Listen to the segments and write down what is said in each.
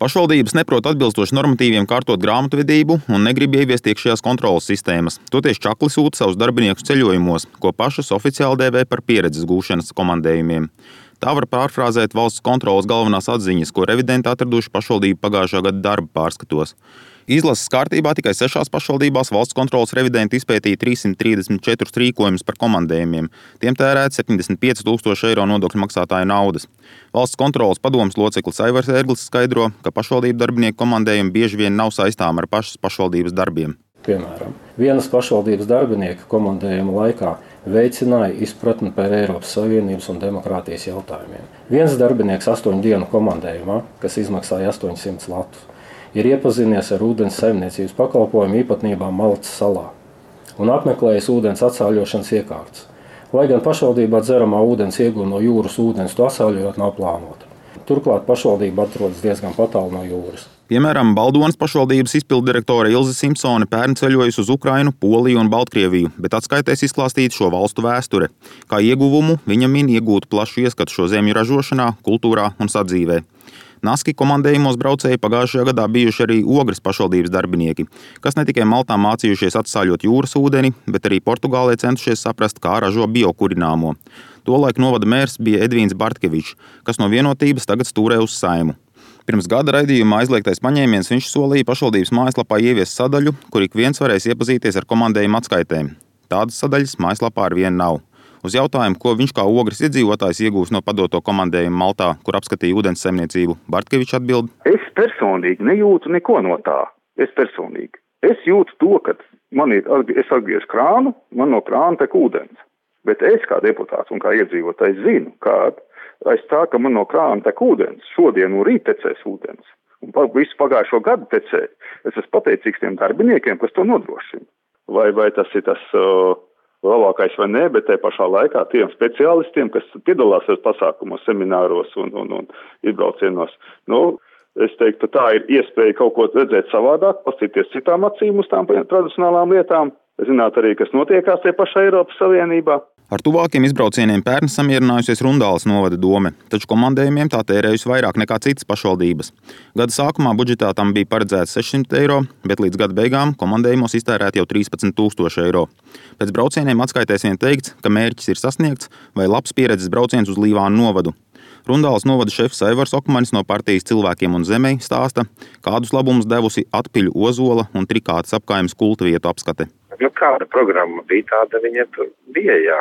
Pašvaldības neprot atbilstoši normatīviem kārtot grāmatvedību un negrib ieviest iekšējās kontroles sistēmas. Toties čakli sūta savus darbiniekus ceļojumos, ko pašas oficiāli dēvē par pieredzes gūšanas komandējumiem. Tā var pārfrāzēt valsts kontroles galvenās atziņas, ko revidenti atraduši pašvaldību pagājušā gada darba pārskatos. Izlases kārtībā tikai 6 pašvaldībās valsts kontroles revidenti izpētīja 334 rīkojumus par komandējumiem. Tiem tērēt 75 000 eiro nodokļu maksātāju naudas. Valsts kontroles padomes loceklis Aivars Ērglis skaidro, ka pašvaldību darbinieku komandējumi bieži vien nav saistām ar pašas pašvaldības darbiem. Piemēram, vienas pašvaldības darbinieka komandējuma laikā veicināja izpratni par Eiropas Savienības un demokrātijas jautājumiem. Viens darbinieks 8 dienu komandējumā, kas izmaksāja 800 latus, ir iepazinies ar ūdens saimniecības pakalpojumu īpatnībām Maltas salā un apmeklējis ūdens atsāļošanas iekārtas. Lai gan pašvaldībā dzeramā ūdens ieguve no jūras ūdens, to atsāļojot nav plānota. Turklāt pašvaldība atrodas diezgan tālu no jūras. Piemēram, Baldonas pašvaldības izpilddirektore Ilze Simpsone pērn ceļojusi uz Ukrainu, Poliju un Baltkrieviju, bet atskaitēs izklāstīt šo valstu vēsture. Kā ieguvumu viņa min iegūt plašu ieskatu šo zemju ražošanā, kultūrā un sadzīvē. Naski komandējumos braucēji pagājušajā gadā bijuši arī Ogres pašvaldības darbinieki, kas ne tikai Maltā mācījušies atsāļot jūras ūdeni, bet arī Portugālē centušies saprast, kā ražo biokurināmo. Tolaik novada mērs bija Edvīns Bartkevičs, kas no Vienotības tagad stūrē uz Saimu. Pirms gada raidījumā aizliegtais paņēmiens viņš solīja pašvaldības mājaslapā ieviest sadaļu, kur ik viens varēs iepazīties ar komandējuma atskaitēm. Tādas sadaļas mājaslapā ar vienu nav. Uz jautājumu, ko viņš kā Ogres iedzīvotājs iegūs no padoto komandējumu Maltā, kur apskatīja ūdens saimniecību, Bartkevičs atbild: Es personīgi nejūtu neko no tā. Es jūtu to, ka es atgriezu krānu, man no krāna tek ūdens. Bet es kā deputāts un kā iedzīvotājs zinu, ka aiz tā, ka man no krāna tek ūdens, šodien un rīt tecēs ūdens. Un visu pagājušo gadu tecēja. Es esmu pateicīgs tiem darbiniekiem, kas to nodrošina. Vai tas ir tas labākais vai nē, bet te pašā laikā tiem speciālistiem, kas piedalās pasākumos, semināros un izbraucienos. Es teiktu, tā ir iespēja kaut ko redzēt savādāk, paskatīties citām acīm uz tām tradicionālām lietām, zināt arī, kas notiekās tie pašā Eiropas Savienībā. Ar tuvākiem izbraucieniem pērn samierinājusies Rundāles novada dome, taču komandējumiem tā tērējusi vairāk nekā citas pašvaldības. Gada sākumā budžetā tam bija paredzēts 600 eiro, bet līdz gada beigām komandējumos iztērēt jau 13 000 eiro. Pēc braucieniem atskaitēs vien teikts, ka mērķis ir sasniegts vai labs pieredzes brauciens uz Līvānu novadu. Rundāles novada šefs Aivars Okmanis no partijas Cilvēkiem un zemei stāsta, kādus labumus devusi Atpiļu, Ozola un Trikātes apkaimes kulta vietu apskate. Kāda programma bija tāda, viņa bija, jā.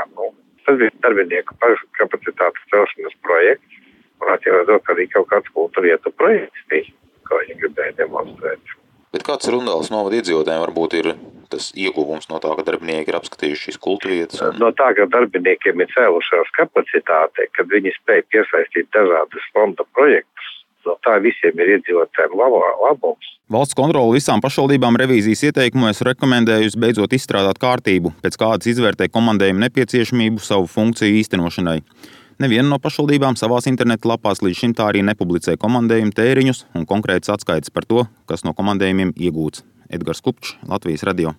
Tas bija darbinieku pašu kapacitātes celšanas projekts. Un atcīmredzot, ka arī kaut kāds kulta vietu projekts bija, ko viņi gribēja demonstrēt. Bet kāds Rundāles novada iedzīvotājiem varbūt ir tas ieguvums no tā, ka darbinieki ir apskatījuši šīs kulta vietas? No tā, ka darbiniekiem ir cēlušās kapacitāte, kad viņi spēja piesaistīt dažādus fonda projektus, no tā visiem ir iedzīvotājiem labums. Valsts kontrole visām pašvaldībām revīzijas ieteikumos rekomendējusi beidzot izstrādāt kārtību, pēc kādas izvērtē komandējumu nepieciešamību savu funkciju īstenošanai. Neviena no pašvaldībām savās interneta lapās līdz šim tā arī nepublicē komandējumu tēriņus un konkrētas atskaites par to, kas no komandējumiem iegūts. Edgars Kupčs, Latvijas radio.